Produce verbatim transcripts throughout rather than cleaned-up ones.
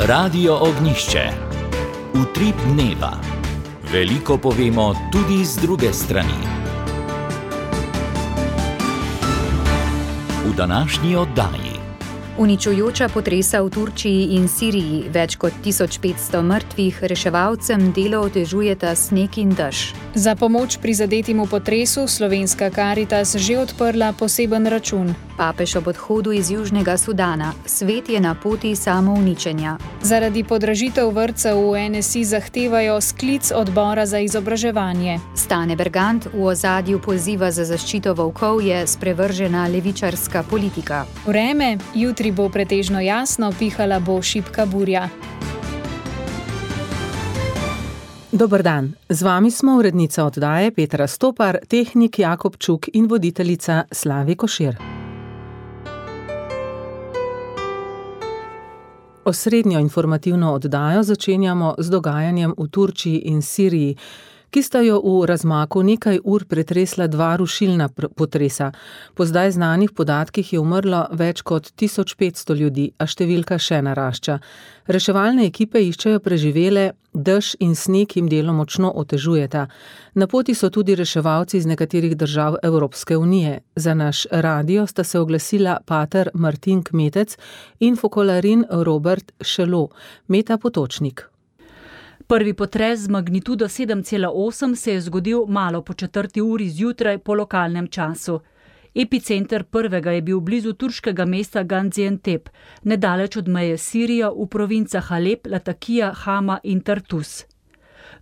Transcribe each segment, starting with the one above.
Radio Ognišče. Utrip dneva. Veliko povemo tudi z druge strani. V današnji oddaji. Uničujoča potresa v Turčiji in Siriji, več kot tisoč petsto mrtvih, reševalcem delo otežujeta sneg in dež. Za pomoč prizadetim v potresu Slovenska Karitas že odprla poseben račun. Papež ob odhodu iz Južnega Sudana. Svet je na poti samouničenja. Zaradi podražitev vrtcev v en es i zahtevajo sklic odbora za izobraževanje. Stane Bergant v ozadju poziva za zaščito volkov je sprevržena levičarska politika. Vreme, jutri bo pretežno jasno, pihala bo šibka burja. Dober dan, z vami smo urednica oddaje Petra Stopar, tehnik Jakob Čuk in voditeljica Slavi Košir. Osrednjo informativno oddajo začenjamo z dogajanjem v Turčiji in Siriji, ki sta jo v razmaku nekaj ur pretresla dva rušilna potresa. Po zdaj znanih podatkih je umrlo več kot tisoč petsto ljudi, a številka še narašča. Reševalne ekipe iščejo preživele, dež in sneg jim delo močno otežujeta. Na poti so tudi reševalci iz nekaterih držav Evropske unije. Za naš radio sta se oglasila pater Martin Kmetec in fokolarin Robert Šelo, Meta Potočnik. Prvi potres z magnitudo sedem cela osem se je zgodil malo po četrti uri zjutraj po lokalnem času. Epicenter prvega je bil blizu turškega mesta Gaziantep, nedaleč od meje Sirijo v provincah Alep, Latakija, Hama in Tartus.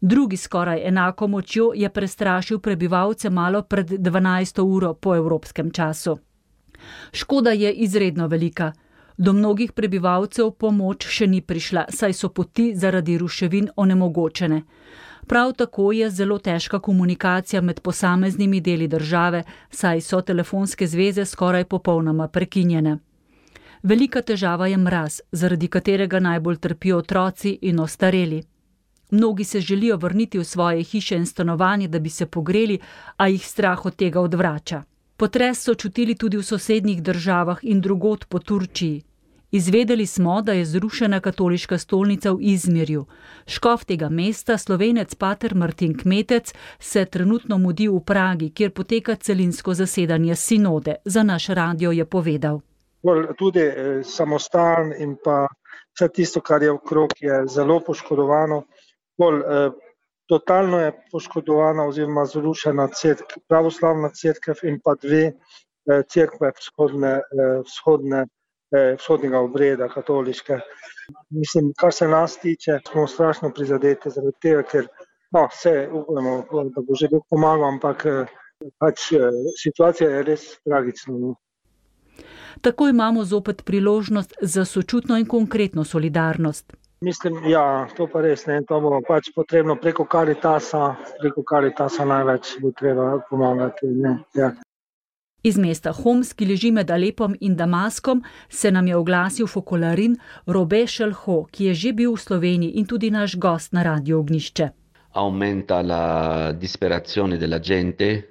Drugi skoraj enako močjo je prestrašil prebivalce malo pred dvanajsto uro po evropskem času. Škoda je izredno velika. Do mnogih prebivalcev pomoč še ni prišla, saj so poti zaradi ruševin onemogočene. Prav tako je zelo težka komunikacija med posameznimi deli države, saj so telefonske zveze skoraj popolnoma prekinjene. Velika težava je mraz, zaradi katerega najbolj trpijo otroci in ostareli. Mnogi se želijo vrniti v svoje hiše in stanovanje, da bi se pogreli, a jih strah od tega odvrača. Potres so čutili tudi v sosednjih državah in drugod po Turčiji. Izvedeli smo, da je zrušena katoliška stolnica v Izmirju. Škof tega mesta, Slovenec pater Martin Kmetec, se trenutno mudi v Pragi, kjer poteka celinsko zasedanje sinode. Za naš radio je povedal. Tudi samostan in pa vse tisto, kar je okrog, je zelo poškodovano. Bolj, eh, totalno je poškodovana oziroma zrušena cerkev, pravoslavna cerkev in pa dve eh, cerkve vzhodne, eh, vzhodne vzhodnega obreda, katoliške. Mislim, kar se nas tiče, smo strašno prizadeti zaradi tega, ker no, vse upamo, da bo že Bog pomagal, ampak pač situacija je res tragična. Tako imamo zopet priložnost za sočutno in konkretno solidarnost. Mislim, ja, to pa res ne, to bo pač potrebno preko Karitasa, preko Karitasa največ bo treba pomagati, ne, ja. Iz mesta Homs, ki leži med Alepom in Damaskom, se nam je oglasil fokolarin Robert Šelo, ki je že bil v Sloveniji in tudi naš gost na Radio Ognišče. Aumenta la disperazione della gente.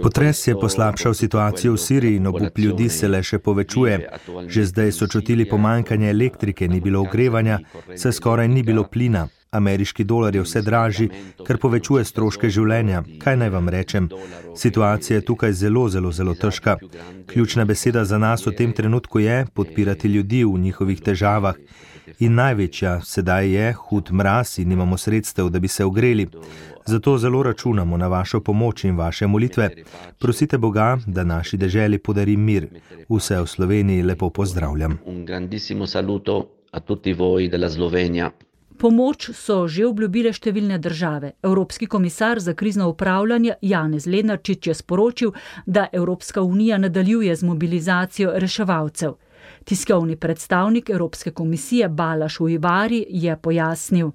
Potres je poslabšal situacijo v Siriji in obup ljudi se le še povečuje. Že zdaj so čutili pomanjkanje elektrike, ni bilo ogrevanja, saj skoraj ni bilo plina. Ameriški dolar je vse dražji, kar povečuje stroške življenja. Kaj naj vam rečem? Situacija je tukaj zelo, zelo, zelo težka. Ključna beseda za nas v tem trenutku je podpirati ljudi v njihovih težavah. In največja sedaj je hud mraz in nimamo sredstev, da bi se ogreli. Zato zelo računamo na vašo pomoč in vaše molitve. Prosite Boga, da naši deželi podari mir. Vse v Sloveniji lepo pozdravljam. Un grandissimo saluto a tutti voi della Slovenija. Pomoč so že obljubile številne države. Evropski komisar za krizno upravljanje Janez Lenarčič je sporočil, da Evropska unija nadaljuje z mobilizacijo reševalcev. Tiskovni predstavnik Evropske komisije Balaš Ujvari je pojasnil.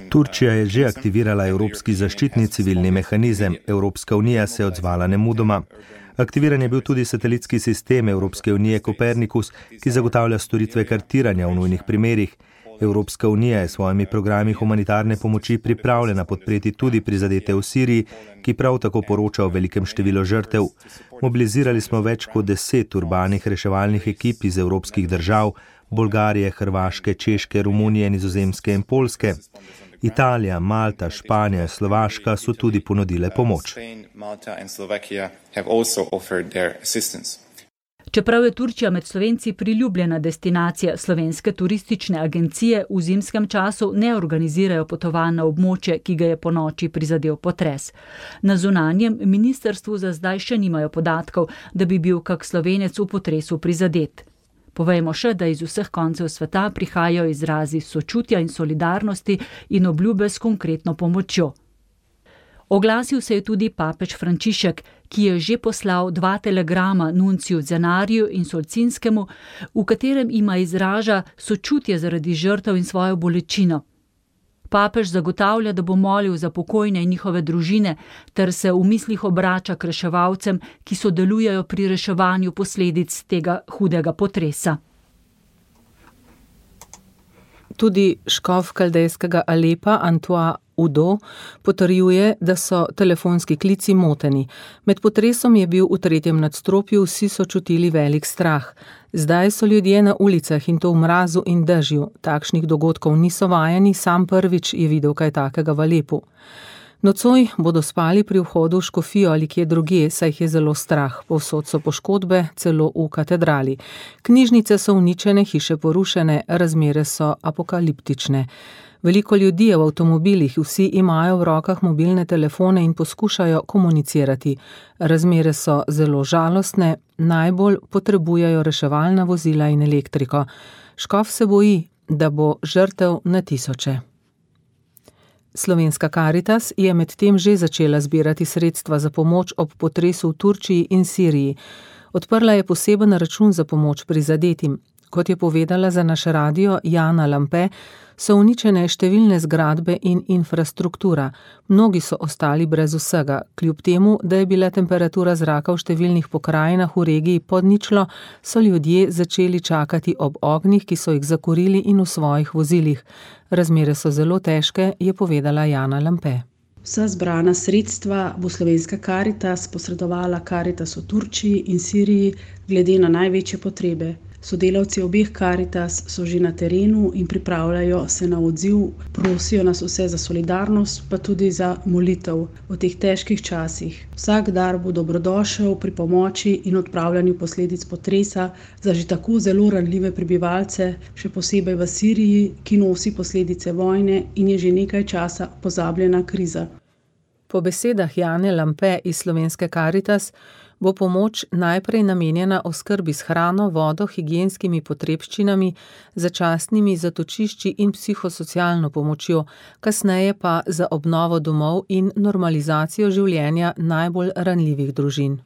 Turčija je že aktivirala Evropski zaščitni civilni mehanizem. Evropska unija se je odzvala nemudoma. Aktiviran je bil tudi satelitski sistem Evropske unije Kopernikus, ki zagotavlja storitve kartiranja v nujnih primerih. Evropska unija je s svojimi programi humanitarne pomoči pripravljena podpreti tudi prizadete v Siriji, ki prav tako poroča o velikem številu žrtev. Mobilizirali smo več kot deset urbanih reševalnih ekip iz evropskih držav, Bolgarije, Hrvaške, Češke, Romunije, Nizozemske in Poljske. Italija, Malta, Španija, Slovaška so tudi ponudile pomoč. Čeprav je Turčija med Slovenci priljubljena destinacija, slovenske turistične agencije v zimskem času ne organizirajo potovanj na območje, ki ga je ponoči prizadel potres. Na zunanjem ministrstvu za zdaj še nimajo podatkov, da bi bil kak Slovenec v potresu prizadet. Povejmo še, da iz vseh koncev sveta prihajajo izrazi sočutja in solidarnosti in obljube s konkretno pomočjo. Oglasil se je tudi papež Frančišek, ki je že poslal dva telegrama nunciju Zenariju in Solcinskemu, v katerem ima izraža sočutje zaradi žrtev in svojo bolečino. Papež zagotavlja, da bo molil za pokojne in njihove družine, ter se v mislih obrača k reševalcem, ki sodelujejo pri reševanju posledic tega hudega potresa. Tudi škof kaldejskega Alepa Antoine Udo potrjuje, da so telefonski klici moteni. Med potresom je bil v tretjem nadstropju, vsi so čutili velik strah. Zdaj so ljudje na ulicah in to v mrazu in dežju. Takšnih dogodkov niso vajeni, sam prvič je videl kaj takega v Alepu. Nocoj bodo spali pri vhodu v škofijo ali kje drugje, saj jih je zelo strah. Povsod so poškodbe, celo v katedrali. Knjižnice so uničene, hiše porušene, razmere so apokaliptične. Veliko ljudi je v avtomobilih, vsi imajo v rokah mobilne telefone in poskušajo komunicirati. Razmere so zelo žalostne, najbolj potrebujejo reševalna vozila in elektriko. Škof se boji, da bo žrtev na tisoče. Slovenska Karitas je medtem že začela zbirati sredstva za pomoč ob potresu v Turčiji in Siriji. Odprla je poseben račun za pomoč prizadetim. Kot je povedala za naš radio Jana Lampe, so uničene številne zgradbe in infrastruktura. Mnogi so ostali brez vsega. Kljub temu, da je bila temperatura zraka v številnih pokrajinah v regiji pod ničlo, so ljudje začeli čakati ob ognjih, ki so jih zakurili in v svojih vozilih. Razmere so zelo težke, je povedala Jana Lampe. Vsa zbrana sredstva bo Slovenska Karitas posredovala Karitas v Turčiji in Siriji glede na največje potrebe. Sodelavci obeh Karitas so že na terenu in pripravljajo se na odziv, prosijo nas vse za solidarnost, pa tudi za molitev v teh težkih časih. Vsak dar bo dobrodošel pri pomoči in odpravljanju posledic potresa za že tako zelo ranljive prebivalce, še posebej v Siriji, ki nosi posledice vojne in je že nekaj časa pozabljena kriza. Po besedah Jane Lampe iz Slovenske Karitas bo pomoč najprej namenjena oskrbi s hrano, vodo, higienskimi potrebščinami, začasnimi zatočišči in psihosocialno pomočjo, kasneje pa za obnovo domov in normalizacijo življenja najbolj ranljivih družin.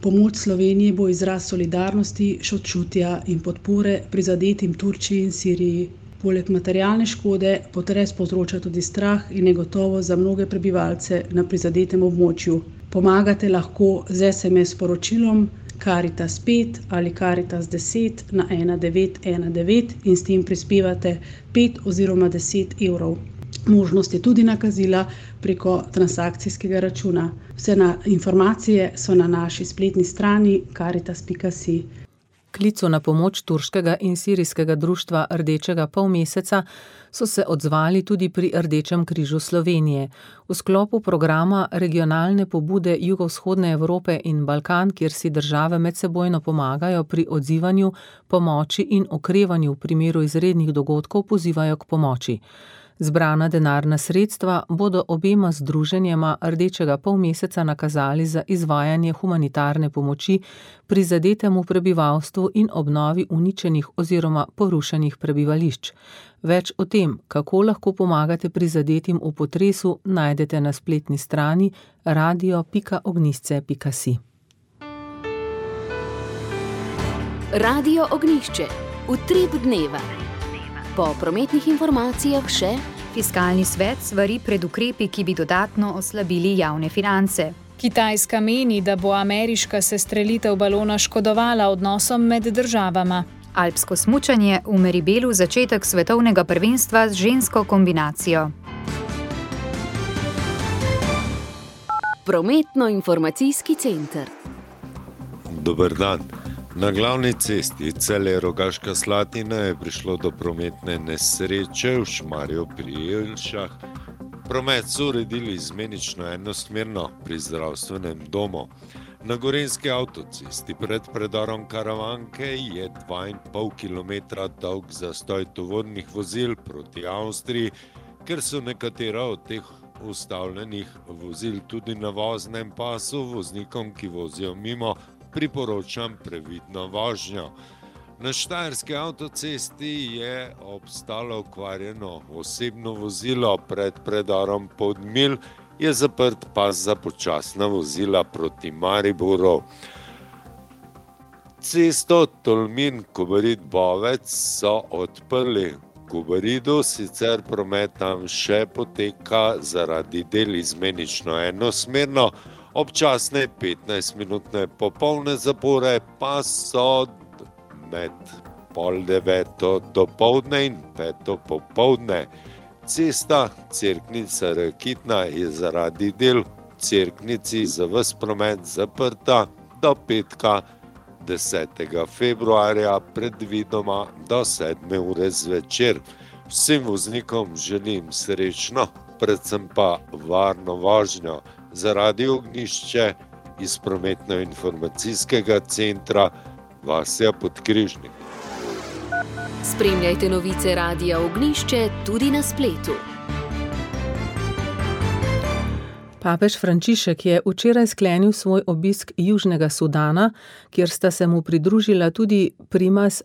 Pomoč Slovenije bo izraz solidarnosti, sočutja in podpore prizadetim Turčiji in Siriji. Poleg materialne škode potres povzroča tudi strah in negotovost za mnoge prebivalce na prizadetem območju. Pomagate lahko z es em es sporočilom Karitas pet ali Karitas deset na ena devet ena devet in s tem prispevate pet oziroma deset evrov. Možnost je tudi nakazila preko transakcijskega računa. Vse na informacije so na naši spletni strani karitas pika si. Klicu na pomoč turškega in sirijskega društva Rdečega polmeseca so se odzvali tudi pri Rdečem križu Slovenije. V sklopu programa regionalne pobude Jugovzhodne Evrope in Balkan, kjer si države medsebojno pomagajo pri odzivanju, pomoči in okrevanju v primeru izrednih dogodkov, pozivajo k pomoči. Zbrana denarna sredstva bodo obema združenjema Rdečega polmeseca nakazali za izvajanje humanitarne pomoči prizadetemu prebivalstvu in obnovi uničenih oziroma porušenih prebivališč. Več o tem, kako lahko pomagate prizadetim v potresu, najdete na spletni strani radio pika ognjišče pika si. Radio Ognjišče. Utrip dneva. Po prometnih informacijah še Fiskalni svet svari pred ukrepi, ki bi dodatno oslabili javne finance. Kitajska meni, da bo ameriška sestrelitev balona škodovala odnosom med državama. Alpsko smučanje, v Meribelu začetek svetovnega prvenstva z žensko kombinacijo. Prometno-informacijski center. Dober dan. Na glavni cesti Celje-Rogaška Slatina je prišlo do prometne nesreče v Šmarju pri Jelšah. Promet so uredili izmenično enosmerno pri zdravstvenem domu. Na gorenjski avtocesti pred predorom Karavanke je dva in pol kilometra dolg zastoj tovornih vozil proti Avstriji, ker so nekatera od teh ustavljenih vozil tudi na voznem pasu, voznikom, ki vozijo mimo, priporočam previdno vožnjo. Na štajerski avtocesti je obstalo okvarjeno osebno vozilo pred predorom Podmilj, je zaprt pas za počasna vozila proti Mariboru. Cesto Tolmin-Kobarid-Bovec so odprli. V Kobaridu sicer promet tam še poteka zaradi del izmenično enosmerno, občasne petnajstminutne popolne zapore pa so med pol deveto dopoldne in peto popoldne. Cesta Cerknica-Rakitna je zaradi del v Cerknici za ves promet zaprta do petka desetega februarja, predvidoma do sedme ure zvečer. Vsem voznikom želim srečno, predvsem pa varno vožnjo. Za Radio Ognjišče iz prometno-informacijskega centra Vasja Podkrižnik. Spremljajte novice Radia Ognjišče tudi na spletu. Papež Frančišek je včeraj sklenil svoj obisk Južnega Sudana, kjer sta se mu pridružila tudi primas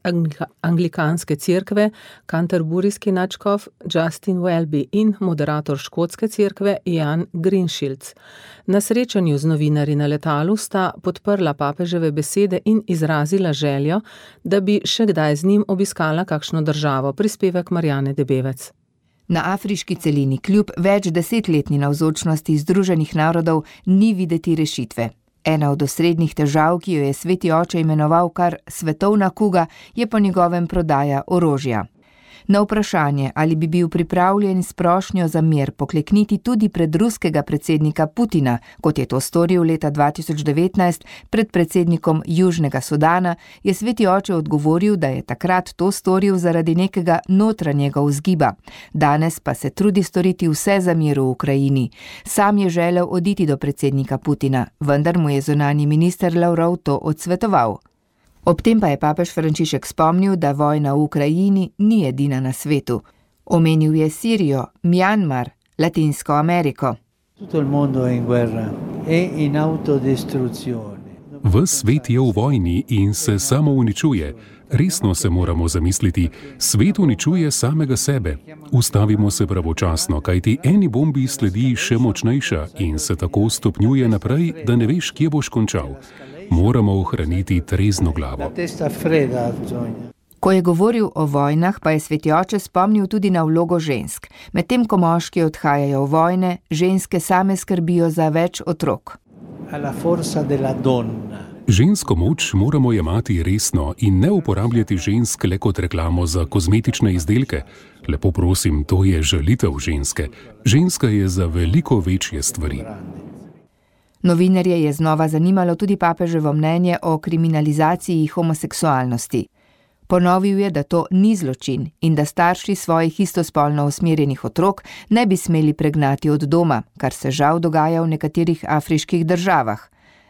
anglikanske cerkve, kanterburijski nadškof Justin Welby in moderator škotske cerkve Jan Greenshields. Na srečanju z novinarji na letalu sta podprla papeževe besede in izrazila željo, da bi še kdaj z njim obiskala kakšno državo, prispevek Marjane Debevec. Na afriški celini kljub več desetletni navzočnosti Združenih narodov ni videti rešitve. Ena od osrednjih težav, ki jo je sveti oče imenoval kar svetovna kuga, je po njegovem prodaja orožja. Na vprašanje, ali bi bil pripravljen s prošnjo za mir poklekniti tudi pred ruskega predsednika Putina, kot je to storil leta dva tisoč devetnajst pred predsednikom Južnega Sudana, je sveti oče odgovoril, da je takrat to storil zaradi nekega notranjega vzgiba. Danes pa se trudi storiti vse za mir v Ukrajini. Sam je želel oditi do predsednika Putina, vendar mu je zunanji minister Lavrov to odsvetoval. Ob tem pa je papež Frančišek spomnil, da vojna v Ukrajini ni edina na svetu. Omenil je Sirijo, Mjanmar, Latinsko Ameriko. Ves svet je v vojni in se samo uničuje. Resno se moramo zamisliti, svet uničuje samega sebe. Ustavimo se pravočasno, kajti eni bombi sledi še močnejša in se tako stopnjuje naprej, da ne veš, kje boš končal. Moramo ohraniti trezno glavo. Ko je govoril o vojnah, pa je sveti oče spomnil tudi na vlogo žensk. Medtem ko moški odhajajo v vojne, ženske same skrbijo za več otrok. Žensko moč moramo jemati resno in ne uporabljati žensk le kot reklamo za kozmetične izdelke. Lepo prosim, to je žalitev ženske. Ženska je za veliko večje stvari. Novinarje je znova zanimalo tudi papeževo mnenje o kriminalizaciji homoseksualnosti. Ponovil je, da to ni zločin in da starši svojih istospolno usmerjenih otrok ne bi smeli pregnati od doma, kar se žal dogaja v nekaterih afriških državah.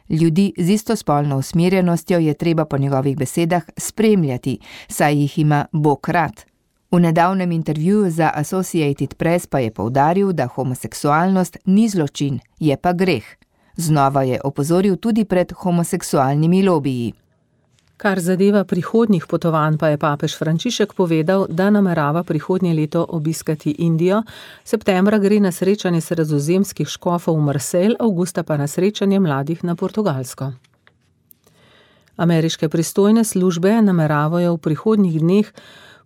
Ljudi z istospolno usmerjenostjo je treba po njegovih besedah spremljati, saj jih ima Bog rad. V nedavnem intervjuju za Associated Press pa je poudaril, da homoseksualnost ni zločin, je pa greh. Znova je opozoril tudi pred homoseksualnimi lobiji. Kar zadeva prihodnjih potovanj, pa je papež Frančišek povedal, da namerava prihodnje leto obiskati Indijo, septembra gre na srečanje sredozemskih škofov v Marseille, avgusta pa na srečanje mladih na Portugalsko. Ameriške pristojne službe nameravajo v prihodnjih dneh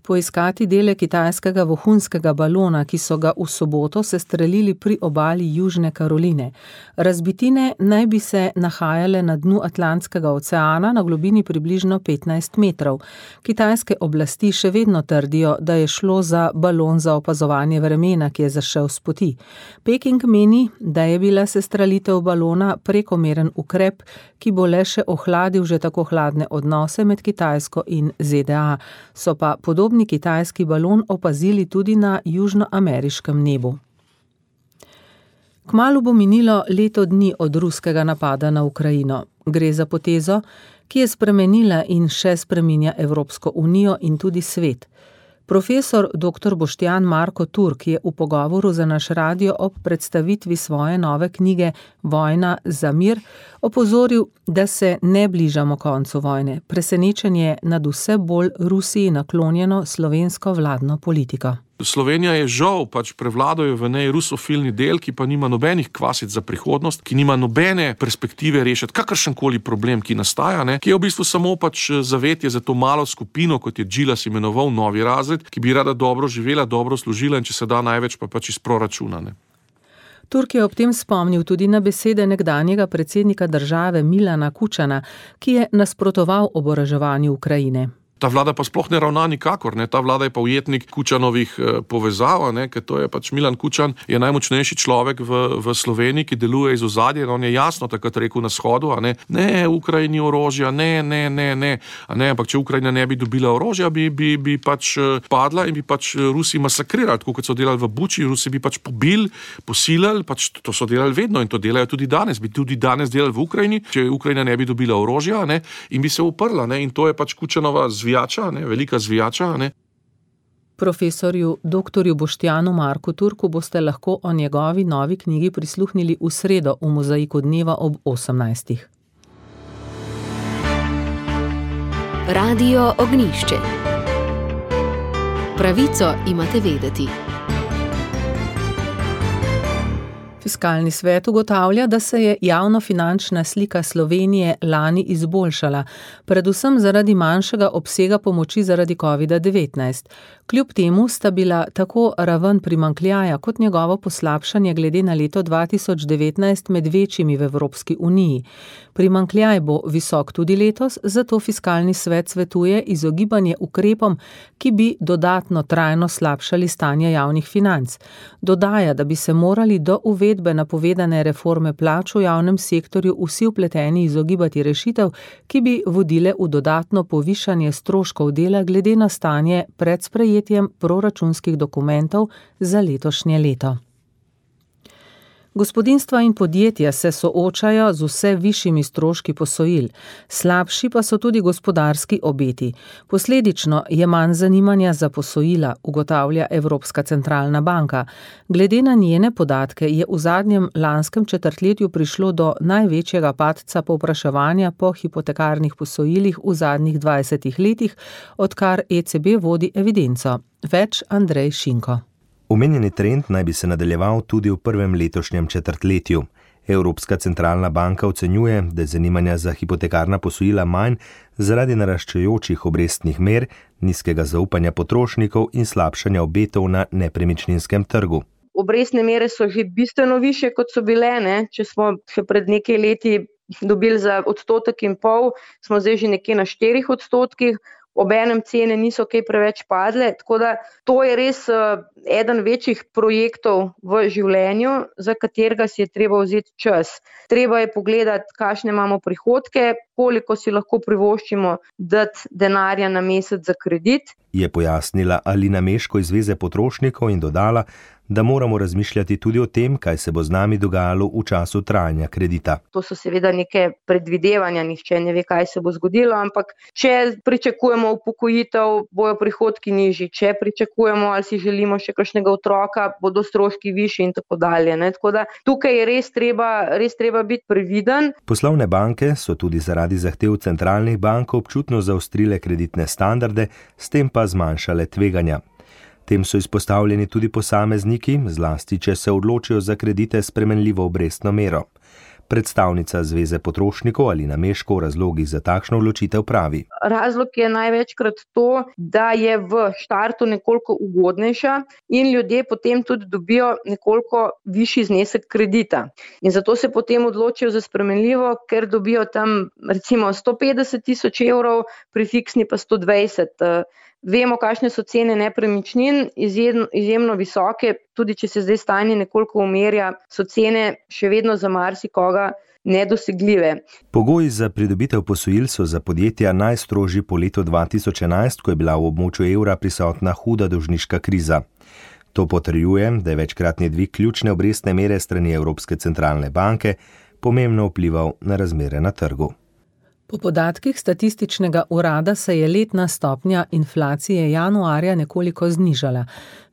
poiskati dele kitajskega vohunskega balona, ki so ga v soboto sestrelili pri obali Južne Karoline. Razbitine naj bi se nahajale na dnu Atlantskega oceana na globini približno petnajst metrov. Kitajske oblasti še vedno trdijo, da je šlo za balon za opazovanje vremena, ki je zašel s poti. Peking meni, da je bila sestrelitev balona prekomeren ukrep, ki bo le še ohladil že tako hladne odnose med Kitajsko in Z D A. So pa podobni kitajski balon opazili tudi na južnoameriškem nebu. Kmalu bo minilo leto dni od ruskega napada na Ukrajino. Gre za potezo, ki je spremenila in še spreminja Evropsko unijo in tudi svet. Profesor doktor Boštjan Marko Turk je v pogovoru za naš radio ob predstavitvi svoje nove knjige Vojna za mir opozoril, da se ne bližamo koncu vojne. Presenečenje nad vse bolj Rusiji naklonjeno slovensko vladno politiko. Slovenija je žal, pač prevladajo v njej rusofilni del, ki pa nima nobenih kvasic za prihodnost, ki nima nobene perspektive rešiti kakršenkoli problem, ki nastaja, ne, ki je v bistvu samo pač zavetje za to malo skupino, kot je Džilas imenoval novi razred, ki bi rada dobro živela, dobro služila in če se da največ pa pač iz proračuna. Ne. Turk je ob tem spomnil tudi na besede nekdanjega predsednika države Milana Kučana, ki je nasprotoval oboroževanju Ukrajine. Ta vlada pa sploh ne ravna nikakor, ne? Ta vlada je pa ujetnik Kučanovih eh, povezav, ne? Ker to je pač Milan Kučan, je najmočnejši človek v, v Sloveniji, ki deluje iz ozadja, on je jasno takrat rekel na shodu, a ne, ne, Ukrajini orožja, ne, ne, ne, ne, a ne, ampak če Ukrajina ne bi dobila orožja, bi, bi, bi pač padla in bi pač Rusi masakrirali, tako kot so delali v Buči, Rusi bi pač pobili, posilili, pač to so delali vedno in to delajo tudi danes, bi tudi danes delali v Ukrajini, če Ukrajina ne bi dobila orožja, ne, in bi se uprla, ne, in to je pač Kučanova zvijača, ne, velika zvijača, ne. Profesorju doktorju Boštjanu Marku Turku boste lahko o njegovi novi knjigi prisluhnili v sredo v Mozaiku dneva ob osemnajstih. Radio Ognjišče. Pravico imate vedeti. Fiskalni svet ugotavlja, da se je javnofinančna slika Slovenije lani izboljšala, predvsem zaradi manjšega obsega pomoči zaradi kovida devetnajst. Kljub temu sta bila tako raven primanjkljaja kot njegovo poslabšanje glede na leto dva tisoč devetnajst med večjimi v Evropski uniji. Primanjkljaj bo visok tudi letos, zato fiskalni svet svetuje izogibanje ukrepom, ki bi dodatno trajno slabšali stanje javnih financ. Dodaja, da bi se morali do uvedbe napovedane reforme plač v javnem sektorju vsi vpleteni izogibati rešitev, ki bi vodile v dodatno povišanje stroškov dela glede na stanje pred sprejetjem proračunskih dokumentov za letošnje leto. Gospodinjstva in podjetja se soočajo z vse višjimi stroški posojil, slabši pa so tudi gospodarski obeti. Posledično je manj zanimanja za posojila, ugotavlja Evropska centralna banka. Glede na njene podatke je v zadnjem lanskem četrtletju prišlo do največjega padca povpraševanja po hipotekarnih posojilih v zadnjih dvajsetih letih, odkar E C B vodi evidenco. Več Andrej Šinko. Omenjeni trend naj bi se nadaljeval tudi v prvem letošnjem četrtletju. Evropska centralna banka ocenjuje, da je zanimanja za hipotekarna posojila manj zaradi naraščajočih obrestnih mer, nizkega zaupanja potrošnikov in slabšanja obetov na nepremičninskem trgu. Obrestne mere so že bistveno više, kot so bile, ne? Če smo še pred nekaj leti dobili za odstotek in pol, smo zdaj že nekje na štirih odstotkih. Obenem cene niso kaj preveč padle, tako da to je res uh, eden večjih projektov v življenju, za katerega si je treba vzeti čas. Treba je pogledati, kakšne imamo prihodke, koliko si lahko privoščimo dati denarja na mesec za kredit. Je pojasnila Alina Meško iz Zveze potrošnikov in dodala, da moramo razmišljati tudi o tem, kaj se bo z nami dogajalo v času trajanja kredita. To so seveda neke predvidevanja, nihče ne ve, kaj se bo zgodilo, ampak če pričakujemo upokojitev, bojo prihodki nižji, če pričakujemo ali si želimo še kakšnega otroka, bodo stroški višji in tako dalje. Ne? Tako da tukaj je res treba, res treba biti previden. Poslovne banke so tudi zaradi zahtev centralnih bank občutno zaostrile kreditne standarde, s tem pa zmanjšale tveganja. Tem so izpostavljeni tudi posamezniki, zlasti če se odločijo za kredite s spremenljivo obrestno mero. Predstavnica Zveze potrošnikov Alina Meško o razlogih za takšno odločitev pravi. Razlog je največkrat to, da je v štartu nekoliko ugodnejša in ljudje potem tudi dobijo nekoliko višji znesek kredita. In zato se potem odločijo za spremenljivo, ker dobijo tam recimo sto petdeset tisoč evrov, pri fiksni pa sto dvajset. Vemo, kakšne so cene nepremičnin, izjemno, izjemno visoke, tudi če se zdaj stanje nekoliko umirja, so cene še vedno za marsikoga nedosegljive. Pogoji za pridobitev posojil so za podjetja najstrožji po letu dva tisoč enajst, ko je bila v območju evra prisotna huda dolžniška kriza. To potrjuje, da je večkratni dvig ključne obrestne mere strani Evropske centralne banke pomembno vplival na razmere na trgu. Po podatkih statističnega urada se je letna stopnja inflacije januarja nekoliko znižala.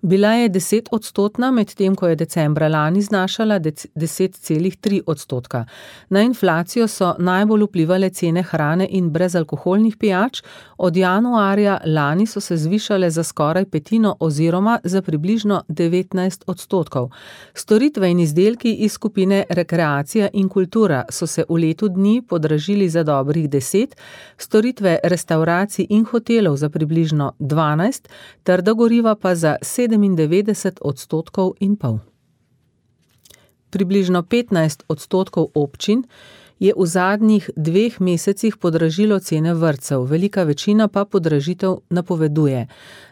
Bila je deset odstotna, medtem ko je decembra lani znašala deset celih tri odstotka. Na inflacijo so najbolj vplivale cene hrane in brezalkoholnih pijač, od januarja lani so se zvišale za skoraj petino oziroma za približno devetnajst odstotkov. Storitve in izdelki iz skupine rekreacija in kultura so se v letu dni podražili za dobrih deset, storitve restavracij in hotelov za približno dvanajst, trda goriva pa za sedemindevetdeset odstotkov in pol. Približno petnajst odstotkov občin je v zadnjih dveh mesecih podražilo cene vrtcev, velika večina pa podražitev napoveduje.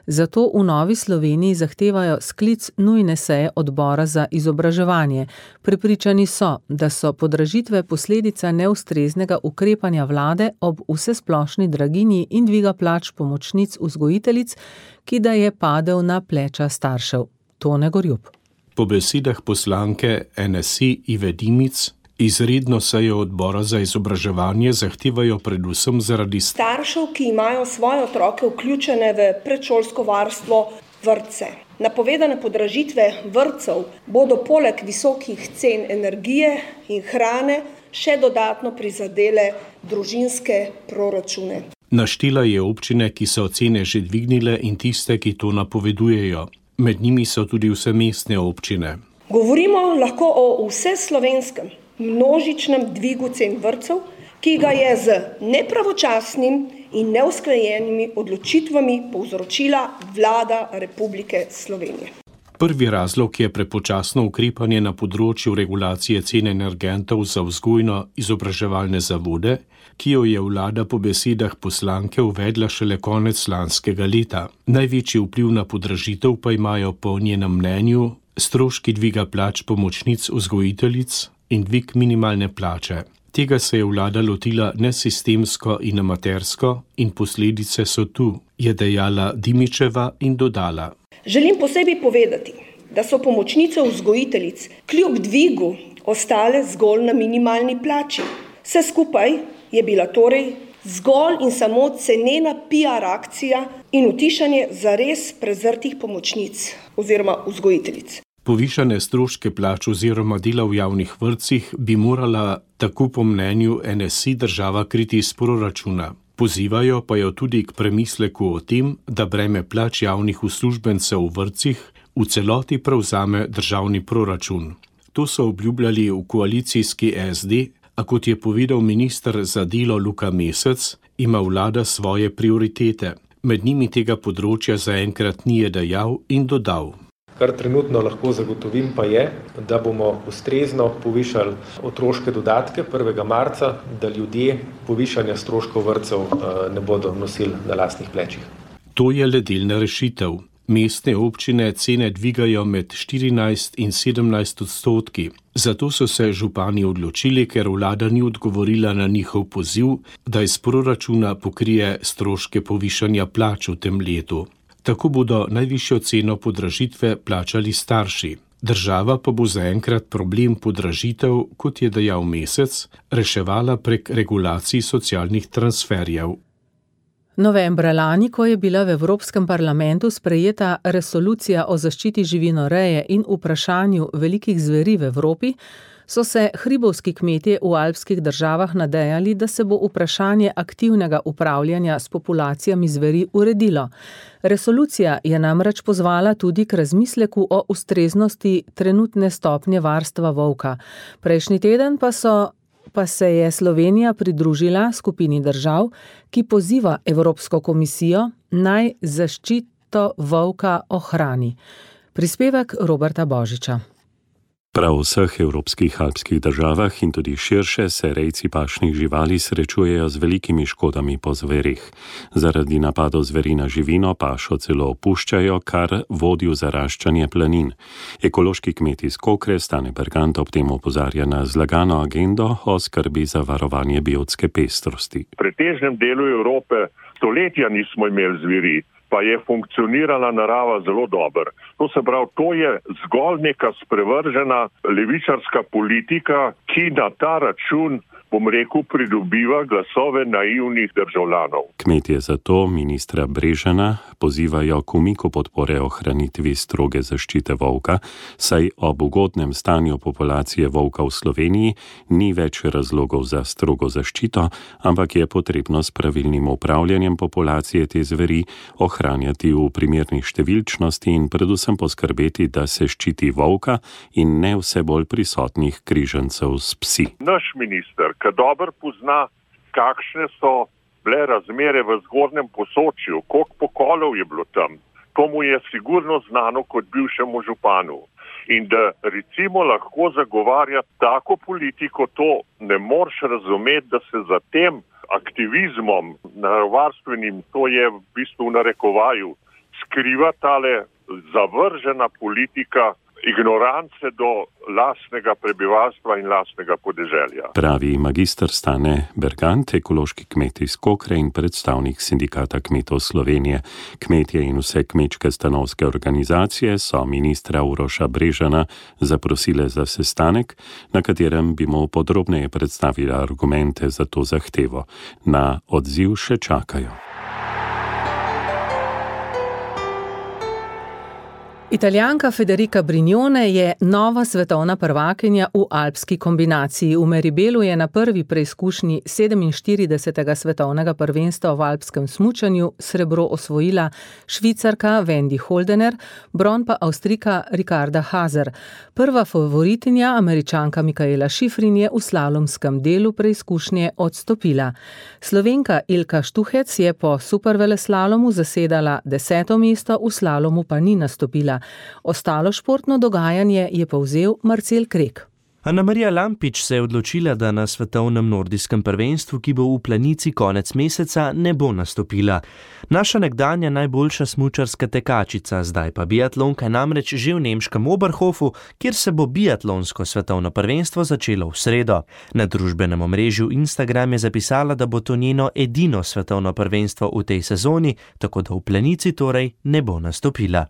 Zato v Novi Sloveniji zahtevajo sklic nujne seje odbora za izobraževanje. Prepričani so, da so podražitve posledica neustreznega ukrepanja vlade ob vsesplošni draginji in dviga plač pomočnic vzgojiteljic, ki da je padel na pleča staršev. Tone Gorjup. Po besedah poslanke N S I Ive Dimic, izredno sejo odbora za izobraževanje zahtevajo predvsem zaradi staršev, ki imajo svoje otroke vključene v predšolsko varstvo, vrtce. Napovedane podražitve vrtcev bodo poleg visokih cen energije in hrane še dodatno prizadele družinske proračune. Naštela je občine, ki so cene že dvignile, in tiste, ki to napovedujejo. Med njimi so tudi vse mestne občine. Govorimo lahko o vseslovenskem množičnem dvigu cen vrtcev, ki ga je z nepravočasnim in neusklajenimi odločitvami povzročila vlada Republike Slovenije. Prvi razlog je prepočasno ukrepanje na področju regulacije cen energentov za vzgojno-izobraževalne zavode, ki jo je vlada po besedah poslanke uvedla šele konec lanskega leta. Največji vpliv na podražitev pa imajo po njenem mnenju stroški dviga plač pomočnic vzgojiteljic in dvig minimalne plače. Tega se je vlada lotila nesistemsko in amatersko in posledice so tu, je dejala Dimičeva in dodala. Želim posebej povedati, da so pomočnice vzgojiteljic kljub dvigu ostale zgolj na minimalni plači. Vse skupaj je bila torej zgolj in samo cenena P R akcija in utišanje zares prezrtih pomočnic oziroma vzgojiteljic. Povišane stroške plač oziroma dela v javnih vrtcih bi morala, tako po mnenju N S I, država kriti iz proračuna. Pozivajo pa jo tudi k premisleku o tem, da breme plač javnih uslužbencev v vrtcih v celoti prevzame državni proračun. To so obljubljali v koalicijski S D, a kot je povedal minister za delo Luka Mesec, ima vlada svoje prioritete. Med njimi tega področja zaenkrat ni dejal in dodal. Kar trenutno lahko zagotovim pa je, da bomo ustrezno povišali otroške dodatke prvega marca, da ljudje povišanja stroškov vrtcev ne bodo nosili na lastnih plečih. To je le delna rešitev. Mestne občine cene dvigajo med štirinajst in sedemnajst odstotki. Zato so se župani odločili, ker vlada ni odgovorila na njihov poziv, da iz proračuna pokrije stroške povišanja plač v tem letu. Tako bodo najvišjo ceno podražitve plačali starši. Država pa bo zaenkrat problem podražitev, kot je dejal Mesec, reševala prek regulacij socialnih transferjev. Novembra lani, ko je bila v Evropskem parlamentu sprejeta resolucija o zaščiti živinoreje in vprašanju velikih zveri v Evropi, so se hribovski kmetje v alpskih državah nadejali, da se bo vprašanje aktivnega upravljanja s populacijami zveri uredilo. Resolucija je namreč pozvala tudi k razmisleku o ustreznosti trenutne stopnje varstva volka. Prejšnji teden pa so pa se je Slovenija pridružila skupini držav, ki poziva Evropsko komisijo naj zaščito volka ohrani. Prispevek Roberta Božiča. Prav v vseh evropskih alpskih državah in tudi širše se rejci pašnih živali srečujejo z velikimi škodami po zverih. Zaradi napadov zveri na živino pašo celo opuščajo, kar vodi v zaraščanje planin. Ekološki kmet iz Kokre Stane Bergant ob tem opozarja na zlagano agendo o skrbi za varovanje biotske pestrosti. V pretežnem delu Evrope stoletja nismo imeli zveri, pa je funkcionirala narava zelo dobro. To se pravi, to je zgolj neka sprevržena levičarska politika, ki na ta račun, bom rekel, pridobiva glasove naivnih državljanov. Kmetje zato ministra Brežana pozivajo k umiku podpore ohranitvi stroge zaščite volka, saj ob ugodnem stanju populacije volka v Sloveniji ni več razlogov za strogo zaščito, ampak je potrebno s pravilnim upravljanjem populacije te zveri ohranjati v primerni številčnosti in predvsem poskrbeti, da se ščiti volka in ne vse bolj prisotnih križancev s psi. Naš minister, ki dobro pozna, kakšne so bile razmere v Zgornjem Posočju, koliko pokolov je bilo tam, to mu je sigurno znano kot bivšemu županu. In da recimo lahko zagovarja tako politiko, to ne moreš razumeti, da se za tem aktivizmom naravovarstvenim, to je v bistvu v narekovaju, skriva tale zavržena politika ignorance do lastnega prebivalstva in lastnega podeželja. Pravi magister Stane Bergant, ekološki kmet iz Kokre in predstavnik Sindikata kmetov Slovenije. Kmetje in vse kmečke stanovske organizacije so ministra Uroša Brežana zaprosile za sestanek, na katerem bi mu podrobneje predstavili argumente za to zahtevo. Na odziv še čakajo. Italijanka Federica Brignone je nova svetovna prvakinja v alpski kombinaciji. V Meribelu je na prvi preizkušnji sedeminštiridesetega svetovnega prvenstva v alpskem smučanju srebro osvojila Švicarka Wendy Holdener, bron pa Avstrijka Ricarda Haser. Prva favoritinja, Američanka Mikaela Šifrin, je v slalomskem delu preizkušnje odstopila. Slovenka Ilka Štuhec je po superveleslalomu zasedala deseto mesto, v slalomu pa ni nastopila. Ostalo športno dogajanje je povzel Marcel Krek. Anamarija Lampič se je odločila, da na svetovnem nordijskem prvenstvu, ki bo v Planici konec meseca, ne bo nastopila. Naša nekdanja najboljša smučarska tekačica, zdaj pa biatlonka, namreč že v nemškem Oberhofu, kjer se bo biatlonsko svetovno prvenstvo začelo v sredo. Na družbenem omrežju Instagram je zapisala, da bo to njeno edino svetovno prvenstvo v tej sezoni, tako da v Planici torej ne bo nastopila.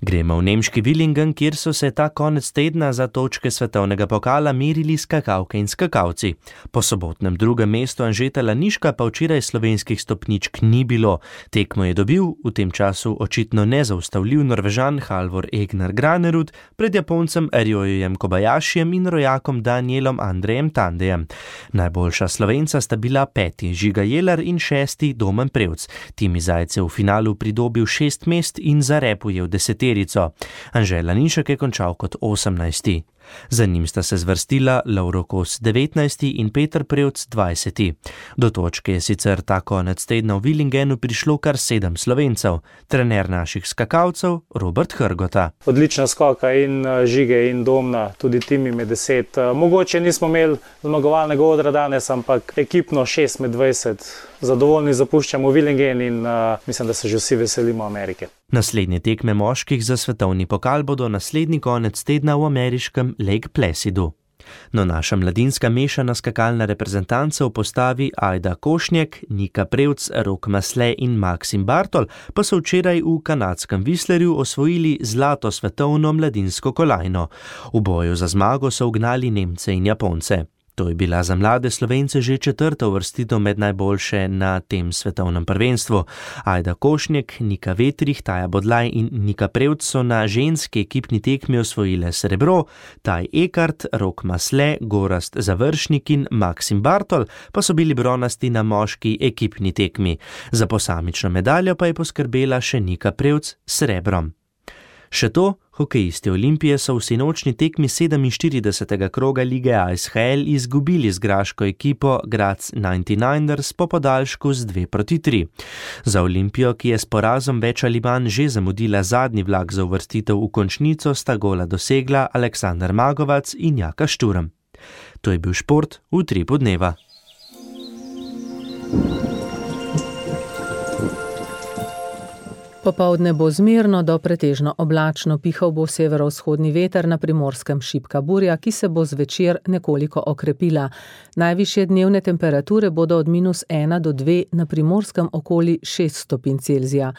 Gremo v nemški Villingen, kjer so se ta konec tedna za točke svetovnega pokala merili skakalke in skakalci. Po sobotnem drugem mestu Anžeta Laniška pa včeraj slovenskih stopničk ni bilo. Tekmo je dobil, v tem času očitno nezaustavljiv Norvežan Halvor Egner Granerud pred Japoncem Ryojem Kobayashijem in rojakom Danielom Andrejem Tandejem. Najboljša Slovenca sta bila peti Žiga Jelar in šesti Domen Prevc. Timi Zajce v finalu pridobil šest mest in zarepujel deseterico. Anže Lanišek je končal kot osemnajsti. Za njim sta se zvrstila Lovro Kos devetnajsti in Peter Prevc dvajseti. Do točke je sicer ta konec tedna v Villingenu prišlo kar sedem Slovencev. Trener naših skakalcev Robert Hrgota. Odlična skoka in Žige in Domna, tudi tim ime deset. Mogoče nismo imeli zmagovalnega odra danes, ampak ekipno šest med dvajset. Zadovoljni zapuščamo Villingen in uh, mislim, da se že vsi veselimo Amerike. Naslednje tekme moških za svetovni pokal bodo naslednji konec tedna v ameriškem Lake Placidu. No, naša mladinska mešana skakalna reprezentanca v postavi Ajda Košnjek, Nika Prevc, Rok Masle in Maksim Bartol pa so včeraj v kanadskem Whistlerju osvojili zlato svetovno mladinsko kolajno. V boju za zmago so ugnali Nemce in Japonce. To je bila za mlade Slovence že četrta uvrstitev med najboljše na tem svetovnem prvenstvu. Ajda Košnjek, Nika Vetrih, Taja Bodlaj in Nika Prevc so na ženski ekipni tekmi osvojile srebro, Taj Ekart, Rok Masle, Gorazd Završnik in Maksim Bartol pa so bili bronasti na moški ekipni tekmi. Za posamično medaljo pa je poskrbela še Nika Prevc s srebrom. Še to, hokejisti Olimpije so v sinočni tekmi sedeminštiridesetega kroga lige A S H L izgubili z graško ekipo Graz devetdesetdeveters po podaljšku z dve proti tri. Za Olimpijo, ki je s porazom več ali manj že zamudila zadnji vlak za uvrstitev v končnico, sta gola dosegla Aleksander Magovac in Jaka Šturm. To je bil šport v Utripu dneva. Popoldne bo zmerno do pretežno oblačno, pihal bo severovzhodni veter, na Primorskem šibka burja, ki se bo zvečer nekoliko okrepila. Najvišje dnevne temperature bodo od minus ena do dve, na Primorskem okoli šest stopinj Celzija.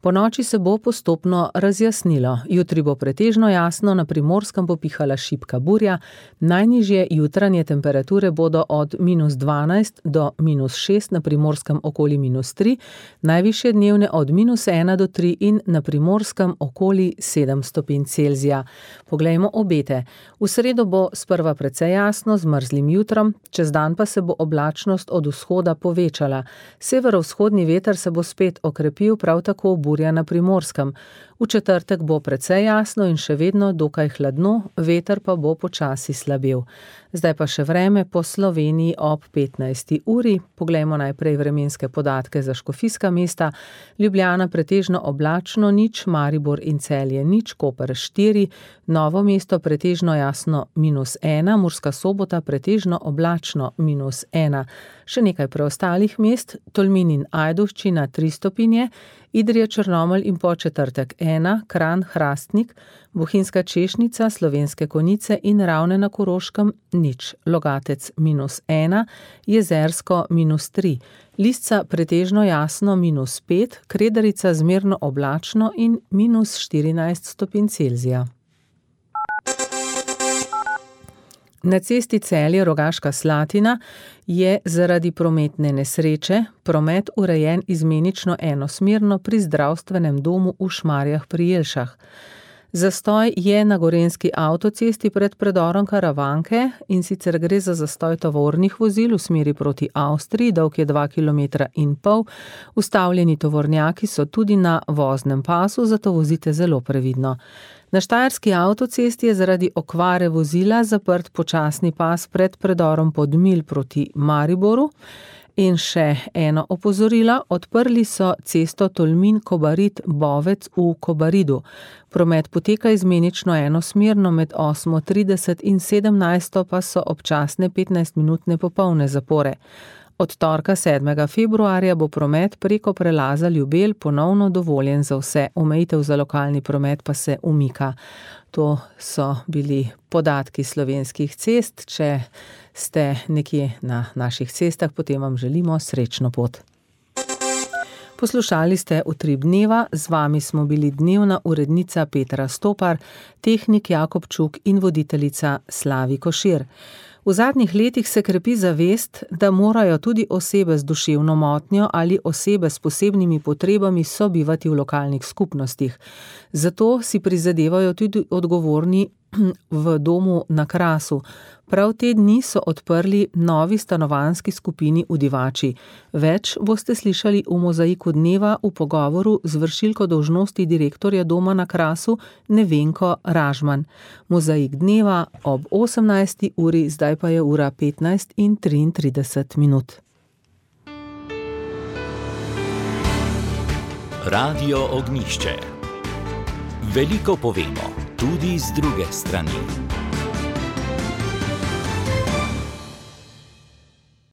Po noči se bo postopno razjasnilo. Jutri bo pretežno jasno, na Primorskem bo pihala šibka burja. Najnižje jutranje temperature bodo od minus dvanajst do minus šest, na Primorskem okoli minus tri, najvišje dnevne od minus ena do tri in na Primorskem okoli sedem stopinj Celzija. Poglejmo obete. V sredo bo sprva precej jasno z mrzlim jutrom, čez dan pa se bo oblačnost od vzhoda povečala. Severovzhodni veter se bo spet okrepil, prav tako burja na Primorskem. V četrtek bo precej jasno in še vedno dokaj hladno, veter pa bo počasi slabel. Zdaj pa še vreme po Sloveniji ob petnajsti uri. Poglejmo najprej vremenske podatke za škofijska mesta. Ljubljana pretežno oblačno nič, Maribor in Celje nič, Koper štiri, Novo mesto pretežno jasno minus ena, Murska Sobota pretežno oblačno minus ena. Še nekaj preostalih mest, Tolmin in Ajdovščina tri stopinje, Idrija, Črnomelj in Podčetrtek ena, Kranj, Hrastnik, Bohinjska Češnica, Slovenske Konjice in Ravne na Koroškem nič, Logatec minus ena, Jezersko minus tri, Lisca pretežno jasno minus pet, Kredarica zmerno oblačno in minus štirinajst stopinj Celzija. Na cesti Celje-Rogaška Slatina je zaradi prometne nesreče promet urejen izmenično enosmerno pri zdravstvenem domu v Šmarjah pri Jelšah. Zastoj je na gorenjski avtocesti pred predorom Karavanke, in sicer gre za zastoj tovornih vozil v smeri proti Avstriji, dolg je dva kilometra in pol. Ustavljeni tovornjaki so tudi na voznem pasu, zato vozite zelo previdno. Na štajerski avtocesti je zaradi okvare vozila zaprt počasni pas pred predorom Podmilj proti Mariboru. In še eno opozorilo, odprli so cesto Tolmin-Kobarid-Bovec v Kobaridu. Promet poteka izmenično enosmerno, med osmo trideset in sedemnajsto pa so občasne petnajstminutne popolne zapore. Od torka sedmega februarja bo promet preko prelaza Ljubelj ponovno dovoljen za vse, omejitev za lokalni promet pa se umika. To so bili podatki slovenskih cest. Če ste nekje na naših cestah, potem vam želimo srečno pot. Poslušali ste Utrip dneva, z vami smo bili dnevna urednica Petra Stopar, tehnik Jakob Čuk in voditeljica Slavi Košir. V zadnjih letih se krepi zavest, da morajo tudi osebe z duševno motnjo ali osebe s posebnimi potrebami sobivati v lokalnih skupnostih. Zato si prizadevajo tudi odgovorni v domu na Krasu. Prav te dni so odprli novi stanovanjski skupini v Divači. Več boste slišali v Mozaiku dneva v pogovoru z vršilko dolžnosti direktorja doma na Krasu Nevenko Ražman. Mozaik dneva ob osemnajsti uri, zdaj pa je ura petnajst in triintrideset minut. Radio Ognjišče. Veliko povemo, tudi z druge strani.